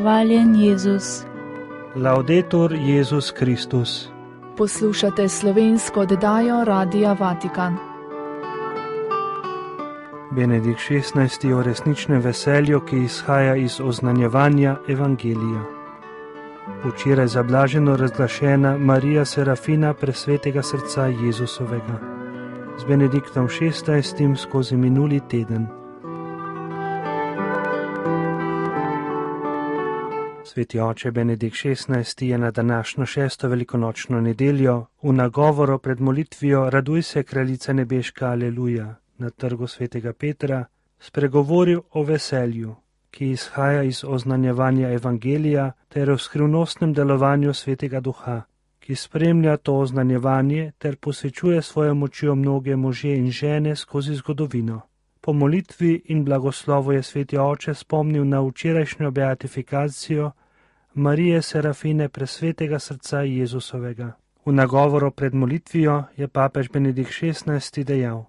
Hvaljen Jezus. Laudetur Jezus Kristus. Poslušate slovensko oddajo Radia Vatikan. Benedikt XVI o resničnem veselju, ki izhaja iz oznanjevanja Evangelija. Včeraj zablaženo razglašena Marija Serafina presvetega srca Jezusovega. Z Benediktom XVI skozi minuli teden. Sveti oče Benedikt XVI je na današnjo 6. velikonočno nedeljo v nagovoru pred molitvijo Raduj se, kraljica nebeška, aleluja, na trgu svetega Petra, spregovoril o veselju, ki izhaja iz oznanjevanja Evangelija ter o skrivnostnem delovanju svetega duha, ki spremlja to oznanjevanje ter posvečuje svojo močjo mnoge može in žene skozi zgodovino. Po molitvi in blagoslovu je sveti oče spomnil na včerajšnjo beatifikacijo Marije Serafine presvetega srca Jezusovega. V nagovoru pred molitvijo je papež Benedikt XVI dejal: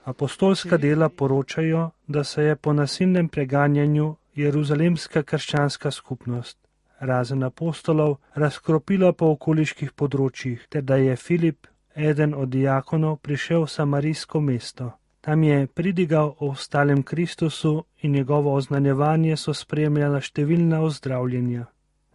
Apostolska dela poročajo, da se je po nasilnem preganjanju jeruzalemska krščanska skupnost, razen apostolov, razkropila po okoliških področjih, ter da je Filip, eden od diakonov, prišel v samarijsko mesto. Tam je pridigal o ostalem Kristusu in njegovo oznanjevanje so spremljala številna ozdravljenja.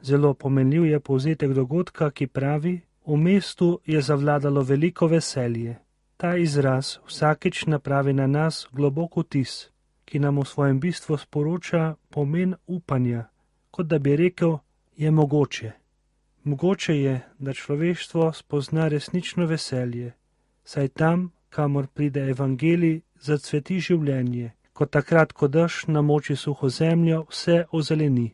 Zelo pomenljiv je povzetek dogodka, ki pravi: v mestu je zavladalo veliko veselje. Ta izraz vsakič napravi na nas globok vtis, ki nam v svojem bistvu sporoča pomen upanja, kot da bi rekel, je mogoče. Mogoče je, da človeštvo spozna resnično veselje, saj tam, kamor pride evangelij, zacveti življenje, kot takrat, ko dež namoči suho zemljo, vse ozeleni.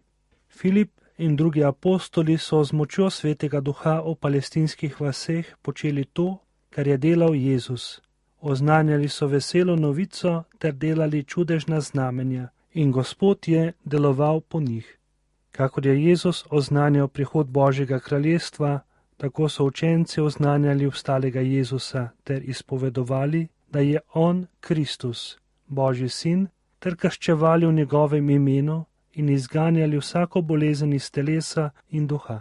Filip in drugi apostoli so z močjo svetega duha v palestinskih vaseh počeli to, kar je delal Jezus. Oznanjali so veselo novico ter delali čudežna znamenja in Gospod je deloval po njih. Kakor je Jezus oznanjal prihod Božjega kraljestva, tako so učenci oznanjali vstalega Jezusa ter izpovedovali, da je On Kristus, Božji sin, ter krščevali v njegovem imenu in izganjali vsako bolezen iz telesa in duha.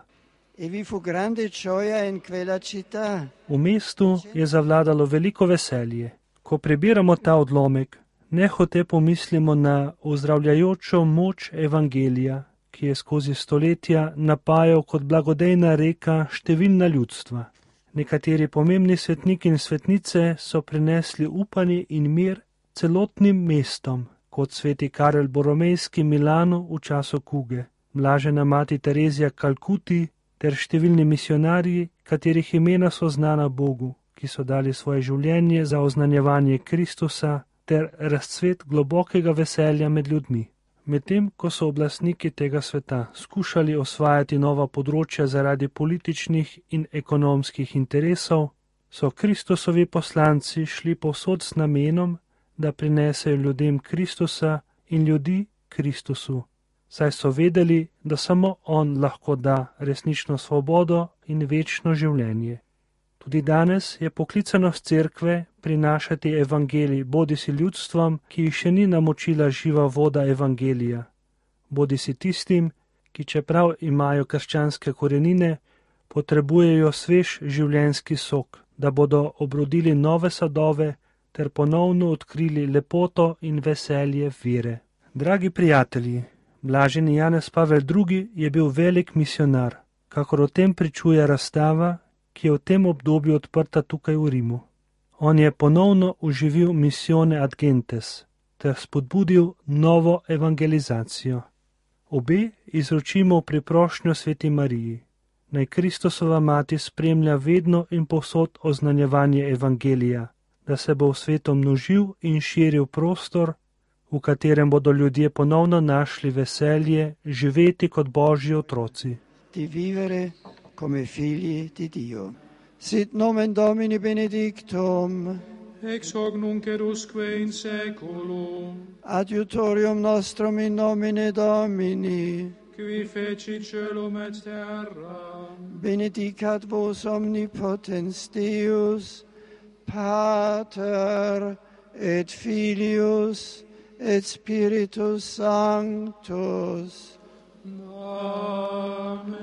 V mestu je zavladalo veliko veselje. Ko prebiramo ta odlomek, nehote pomislimo na ozdravljajočo moč evangelija, ki je skozi stoletja napajal kot blagodejna reka številna ljudstva. Nekateri pomembni svetniki in svetnice so prinesli upanje in mir celotnim mestom, kot sveti Karel Boromejski Milanu v času kuge, blažena mati Terezija Kalkuti ter številni misionarji, katerih imena so znana Bogu, ki so dali svoje življenje za oznanjevanje Kristusa ter razcvet globokega veselja med ljudmi. Medtem, ko so oblastniki tega sveta skušali osvajati nova področja zaradi političnih in ekonomskih interesov, so Kristusovi poslanci šli povsod s namenom, da prinesejo ljudem Kristusa in ljudi Kristusu, saj so vedeli, da samo On lahko da resnično svobodo in večno življenje. Tudi danes je poklicanost cerkve prinašati evangelij bodisi ljudstvom, ki jih še ni namočila živa voda evangelija, bodisi tistim, ki čeprav imajo krščanske korenine, potrebujejo svež življenjski sok, da bodo obrodili nove sadove ter ponovno odkrili lepoto in veselje vere. Dragi prijatelji, blaženi Janez Pavel II je bil velik misionar, kakor o tem pričuje razstava, ki je v tem obdobju odprta tukaj v Rimu. On je ponovno oživil Missione ad Gentes ter spodbudil novo evangelizacijo. Obe izročimo v priprošnjo sveti Mariji. Naj Kristusova mati spremlja vedno in povsod oznanjevanje evangelija, da se bo v svetu množil in širil prostor, v katerem bodo ljudje ponovno našli veselje živeti kot Božji otroci. Di vivere come figli di Dio. Sit nomen Domini benedictum, ex hoc nunc et usque in saeculum, adiutorium nostrum in nomine Domini, qui feci celum et terra, benedicat vos omnipotens Deus, Pater et Filius et Spiritus Sanctus. Amen.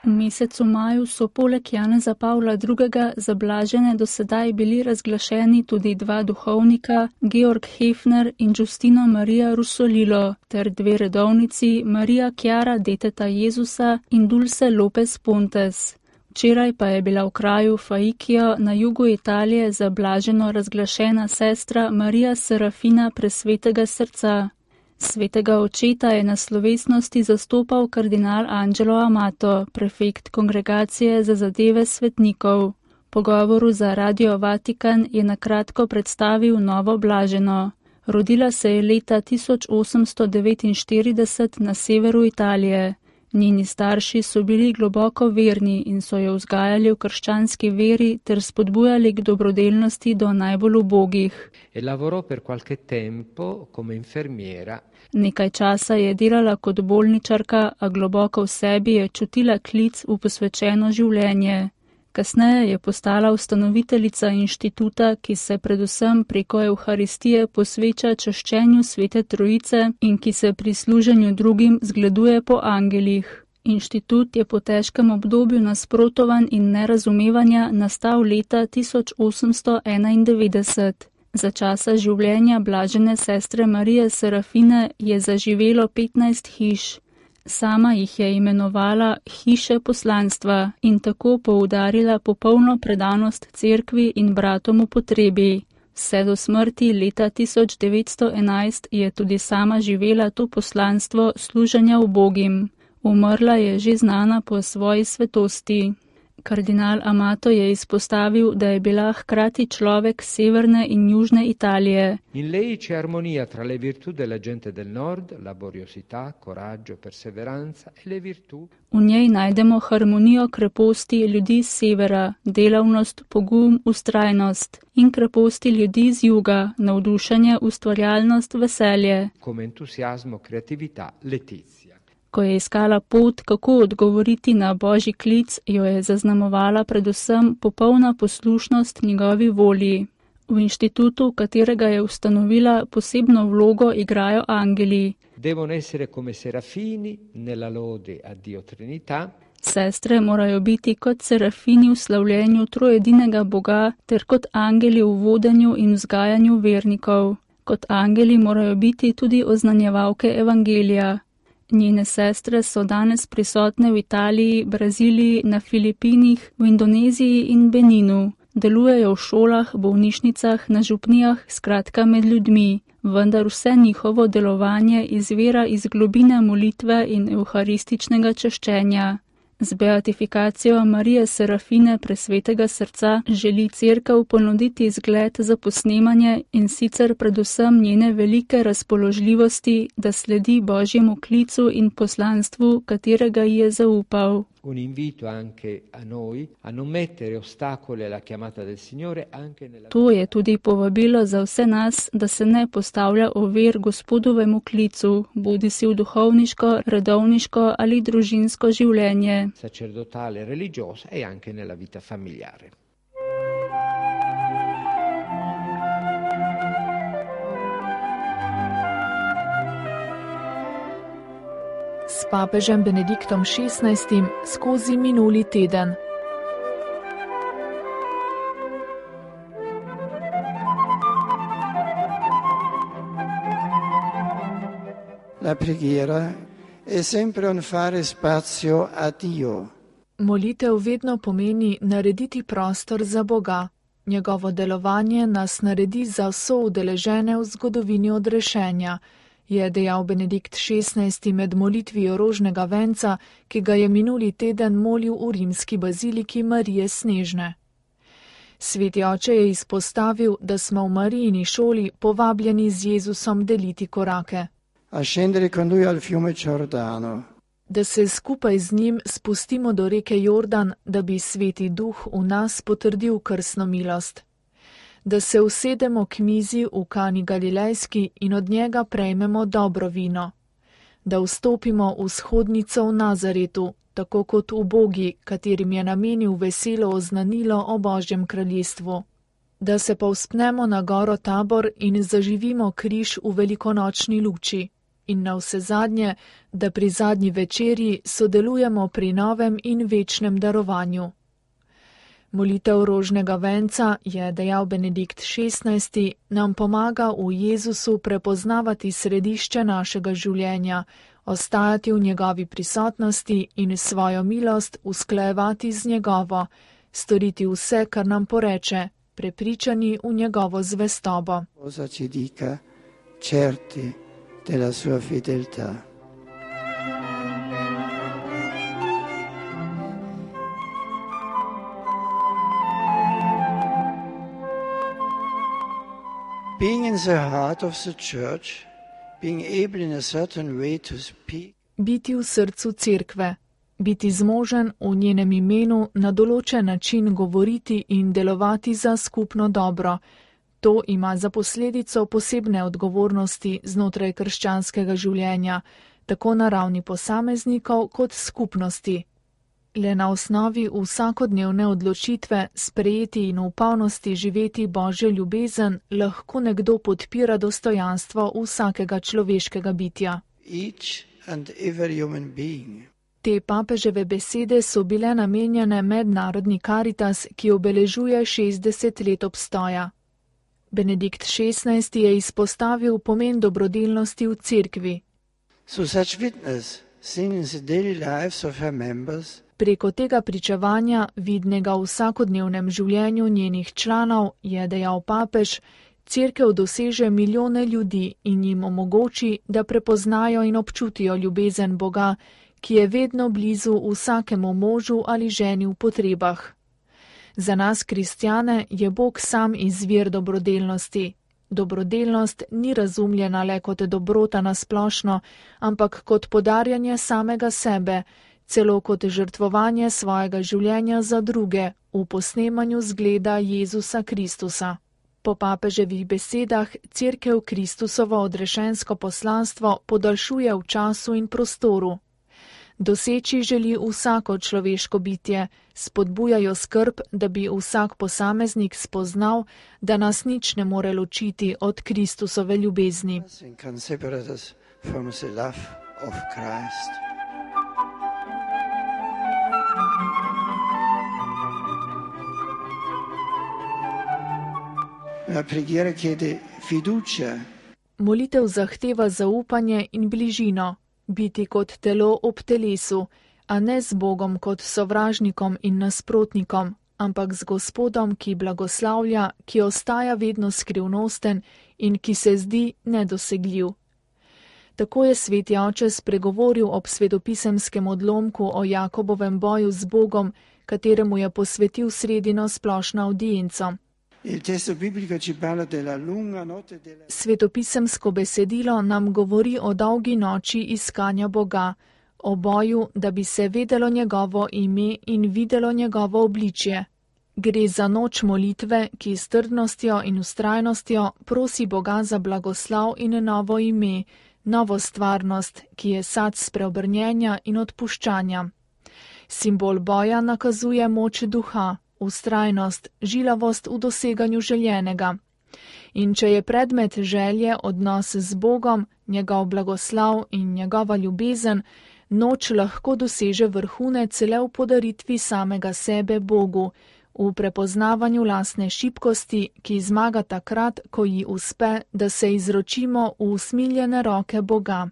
V mesecu maju so poleg Janeza Pavla II. Za blažene do sedaj bili razglašeni tudi dva duhovnika, Georg Hefner in Giustino Maria Russolilo, ter dve redovnici, Maria Chiara Deteta Jezusa in Dulce Lopez Pontes. Včeraj pa je bila v kraju Faikio na jugu Italije za blaženo razglašena sestra Marija Serafina Presvetega srca. Svetega očeta je na slovesnosti zastopal kardinal Angelo Amato, prefekt Kongregacije za zadeve svetnikov. V pogovoru za Radio Vatikan je na kratko predstavil novo blaženo. Rodila se je leta 1849 na severu Italije. Njeni starši so bili globoko verni in so jo vzgajali v krščanski veri ter spodbujali k dobrodelnosti do najbolj ubogih. Nekaj časa je delala kot bolničarka, a globoko v sebi je čutila klic v posvečeno življenje. Kasneje je postala ustanoviteljica inštituta, ki se predvsem preko Evharistije posveča čaščenju Svete Trojice in ki se pri služenju drugim zgleduje po angelih. Inštitut je po težkem obdobju nasprotovanj in nerazumevanja nastal leta 1891. Za časa življenja blažene sestre Marije Serafine je zaživelo 15 hiš. Sama jih je imenovala hiše poslanstva in tako poudarila popolno predanost cerkvi in bratom v potrebi. Vse do smrti leta 1911 je tudi sama živela to poslanstvo služenja ubogim. Umrla je že znana po svoji svetosti. Kardinal Amato je izpostavil, da je bila hkrati človek severne in južne Italije. In lei c'è armonia tra le virtù della gente del nord, laboriosità, coraggio, perseveranza e le virtù. V njej najdemo harmonijo kreposti ljudi z severa, delavnost, pogum, ustrajnost, in kreposti ljudi z juga, navdušenje, ustvarjalnost, veselje. Come entusiasmo, creatività, letizia. Ko je iskala pot, kako odgovoriti na Božji klic, jo je zaznamovala predvsem popolna poslušnost njegovi volji. V inštitutu, katerega je ustanovila, posebno vlogo igrajo angeli. Devono essere come serafini nella lode a Dio Trinità. Sestre morajo biti kot serafini v slavljenju trojedinega Boga ter kot angeli v vodenju in vzgajanju vernikov. Kot angeli morajo biti tudi oznanjevalke evangelija. Njene sestre so danes prisotne v Italiji, Braziliji, na Filipinih, v Indoneziji in Beninu. Delujejo v šolah, bolnišnicah, na župnijah, skratka med ljudmi, vendar vse njihovo delovanje izvira iz globine molitve in evharističnega čaščenja. Z beatifikacijo Marije Serafine Presvetega srca želi cerkev ponuditi zgled za posnemanje in sicer predvsem njene velike razpoložljivosti, da sledi Božjemu klicu in poslanstvu, katerega ji je zaupal. Un invito anche a noi a non mettere ostacoli alla chiamata del Signore anche nella. To je tudi povabilo za vse nas, da se ne postavlja ovir Gospodovemu klicu, bodisi v duhovniško, redovniško ali družinsko življenje. Sacerdotale, religiosa e anche nella vita familiare. S papežem Benediktom XVI skozi minuli teden. La preghiera è sempre un fare spazio a Dio. Molitev vedno pomeni narediti prostor za Boga. Njegovo delovanje nas naredi za vso udeležene v zgodovini odrešenja, je dejal Benedikt XVI med molitvijo rožnega venca, ki ga je minuli teden molil v rimski baziliki Marije Snežne. Sveti oče je izpostavil, da smo v Marijini šoli povabljeni z Jezusom deliti korake. A scendere con lui al fiume Giordano. Da se skupaj z njim spustimo do reke Jordan, da bi Sveti Duh v nas potrdil krstno milost. Da se usedemo k mizi v Kani Galilejski in od njega prejmemo dobro vino. Da vstopimo v shodnico v Nazaretu, tako kot ubogi, katerim je namenil veselo oznanilo o Božjem kraljestvu. da se povzpnemo na goro Tabor in zaživimo križ v velikonočni luči. In navsezadnje, da pri zadnji večerji sodelujemo pri novem in večnem darovanju. Molitev rožnega venca, je dejal Benedikt XVI, nam pomaga v Jezusu prepoznavati središče našega življenja, ostajati v njegovi prisotnosti in svojo milost usklajevati z njegovo, storiti vse, kar nam poreče, prepričani v njegovo zvestobo. Cosa ci dica, certi della sua fedeltà. Being in the heart of the church, being able in a certain way to speak. Biti v srcu cerkve, biti zmožen v njenem imenu na določen način govoriti in delovati za skupno dobro. To ima za posledico posebne odgovornosti znotraj krščanskega življenja, tako na ravni posameznikov kot skupnosti. Le na osnovi vsakodnevne odločitve sprejeti in v polnosti živeti Božjo ljubezen lahko nekdo podpira dostojanstvo vsakega človeškega bitja. Each and every human being. Te papeževe besede so bile namenjene mednarodni Karitas, ki obeležuje 60 let obstoja. Benedikt XVI je izpostavil pomen dobrodelnosti v cerkvi. So such witness, seen in the daily lives of her members. Preko tega pričevanja, vidnega v vsakodnevnem življenju njenih članov, je dejal papež, cerkev doseže milijone ljudi in jim omogoči, da prepoznajo in občutijo ljubezen Boga, ki je vedno blizu vsakemu možu ali ženi v potrebah. Za nas, kristjane, je Bog sam izvir dobrodelnosti. Dobrodelnost ni razumljena le kot dobrota na splošno, ampak kot podarjanje samega sebe, celo kot žrtvovanje svojega življenja za druge v posnemanju zgleda Jezusa Kristusa. Po papeževih besedah cerkev Kristusovo odrešensko poslanstvo podaljšuje v času in prostoru. Doseči želi vsako človeško bitje, spodbujajo skrb, da bi vsak posameznik spoznal, da nas nič ne more ločiti od Kristusove ljubezni. La preghiera chiede fiducia. Molitev zahteva zaupanje in bližino, biti kot telo ob telesu, a ne z Bogom kot sovražnikom in nasprotnikom, ampak z Gospodom, ki blagoslavlja, ki ostaja vedno skrivnosten in ki se zdi nedosegljiv. Tako je sveti oče spregovoril ob svetopisemskem odlomku o Jakobovem boju z Bogom, kateremu je posvetil sredino splošno avdienco. Svetopisemsko besedilo nam govori o dolgi noči iskanja Boga, o boju, da bi se vedelo njegovo ime in videlo njegovo obličje. Gre za noč molitve, ki s trdnostjo in vztrajnostjo prosi Boga za blagoslav in novo ime, novo stvarnost, ki je sad spreobrnjenja in odpuščanja. Simbol boja nakazuje moč duha, vztrajnost, žilavost v doseganju željenega. In če je predmet želje odnos z Bogom, njegov blagoslav in njegova ljubezen, noč lahko doseže vrhunec le v podaritvi samega sebe Bogu, v prepoznavanju lastne šibkosti, ki zmaga takrat, ko ji uspe, da se izročimo v usmiljene roke Boga.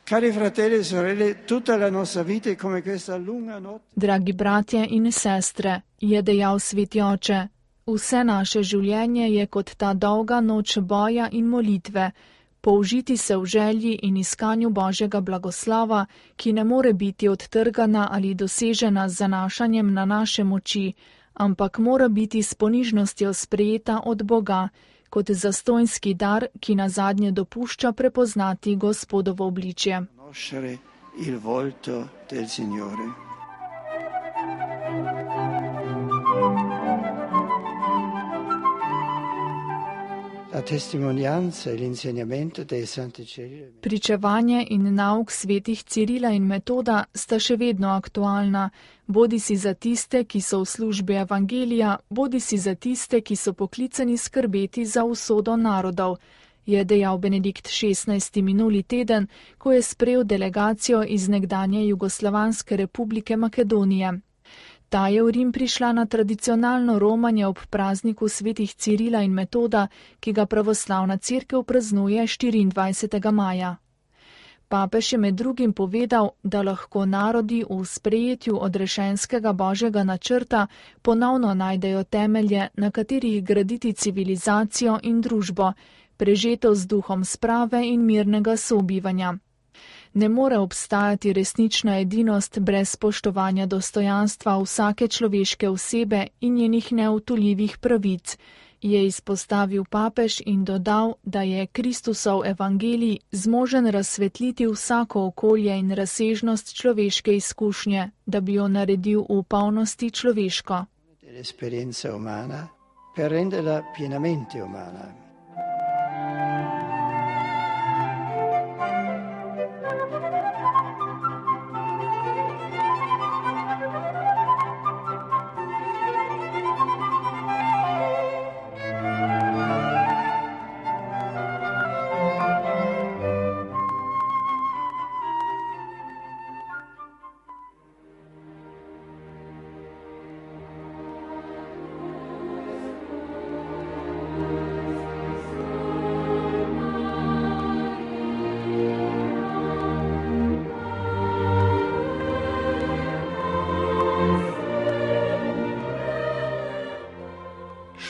Cari fratelli e sorelle, tutta la nostra vita è come questa lunga notte. Dragi bratje in sestre, je dejal sveti oče, vse naše življenje je kot ta dolga noč boja in molitve, použiti se v želji in iskanju Božjega blagoslava, ki ne more biti odtrgana ali dosežena z zanašanjem na naše moči, ampak mora biti s ponižnostjo sprejeta od Boga, kot zastonjski dar, ki nazadnje dopušča prepoznati Gospodovo obličje. La testimonianza e l'insegnamento dei santi Cirilo. Pričevanje in nauk svetih Cirila in Metoda sta še vedno aktualna, bodisi za tiste, ki so v službi evangelija, bodisi za tiste, ki so poklicani skrbeti za usodo narodov, je dejal Benedikt XVI. Minuli teden, ko je sprejel delegacijo iz nekdanje Jugoslovanske republike Makedonije. Ta je v Rim prišla na tradicionalno romanje ob prazniku svetih Cirila in Metoda, ki ga pravoslavna cerkev praznuje 24. maja. Papež je med drugim povedal, da lahko narodi v sprejetju odrešenskega božjega načrta ponovno najdejo temelje, na katerih graditi civilizacijo in družbo, prežeto z duhom sprave in mirnega sobivanja. Ne more obstajati resnična edinost brez spoštovanja dostojanstva vsake človeške osebe in njenih neodtujljivih pravic, je izpostavil papež in dodal, da je Kristusov evangelij zmožen razsvetliti vsako okolje in razsežnost človeške izkušnje, da bi jo naredil v polnosti človeško. L'esperienza umana per renderla pienamente umana.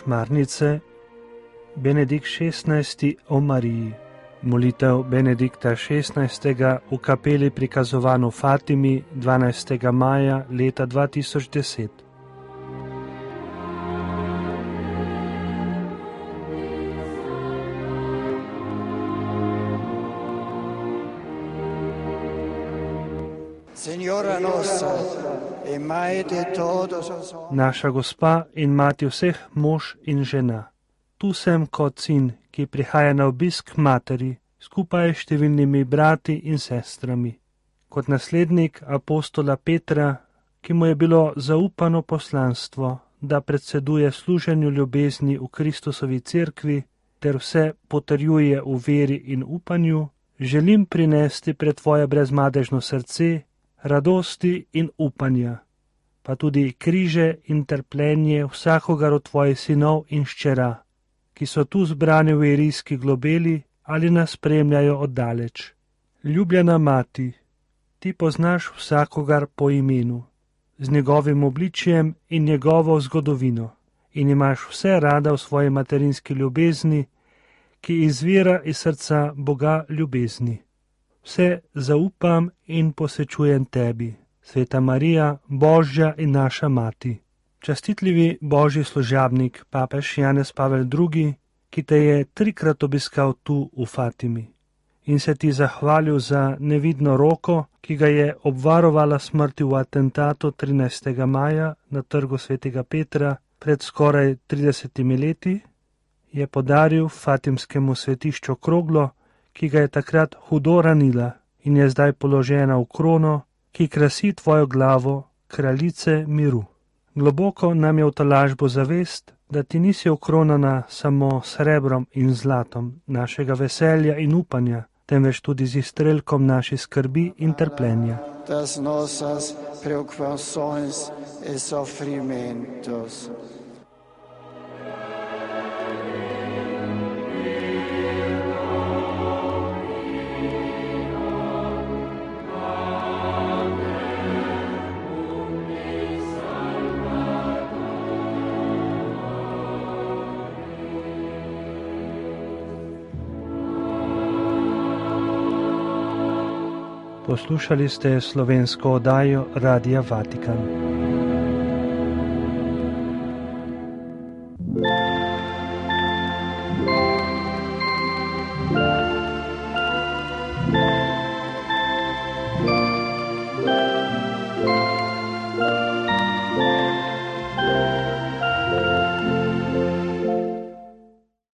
Šmarnice Benedikt XVI. O Mariji. Molitev Benedikta XVI. V kapeli prikazovano Fatimi 12. maja leta 2010. Signora nostra, e Maite todos. Naša gospa in mati vseh mož in žena. Tu sem kot sin, ki prihaja na obisk materi, skupaj s številnimi brati in sestrami. Kot naslednik apostola Petra, ki mu je bilo zaupano poslanstvo, da predseduje služenju ljubezni v Kristusovi cerkvi ter vse potrjuje v veri in upanju, želim prinesti pred tvoje brezmadežno srce radosti in upanja, pa tudi križe in trpljenje vsakogar od tvojih sinov in hčera, ki so tu zbrani v irijski globeli ali nas spremljajo oddaleč. Ljubljena mati, ti poznaš vsakogar po imenu, z njegovim obličjem in njegovo zgodovino in imaš vse rada v svoji materinski ljubezni, ki izvira iz srca Boga ljubezni. Vse zaupam in posvečujem tebi, Sveta Marija, Božja in naša mati. Častitljivi Božji služabnik, papež Janez Pavel II., ki te je 3-krat obiskal tu v Fatimi in se ti zahvalil za nevidno roko, ki ga je obvarovala smrti v atentatu 13. maja na trgu Svetega Petra pred skoraj 30 leti, je podaril fatimskemu svetišču kroglo, ki ga je takrat hudo ranila in je zdaj položena v krono, ki krasi tvojo glavo, kraljice miru. Globoko nam je v tolažbo zavest, da ti nisi okronana samo srebrom in zlatom našega veselja in upanja, temveč tudi z izstrelkom naših skrbi in trpljenja. Das nosas preocupações e sofrimentos. Poslušali ste slovensko oddajo Radia Vatikan.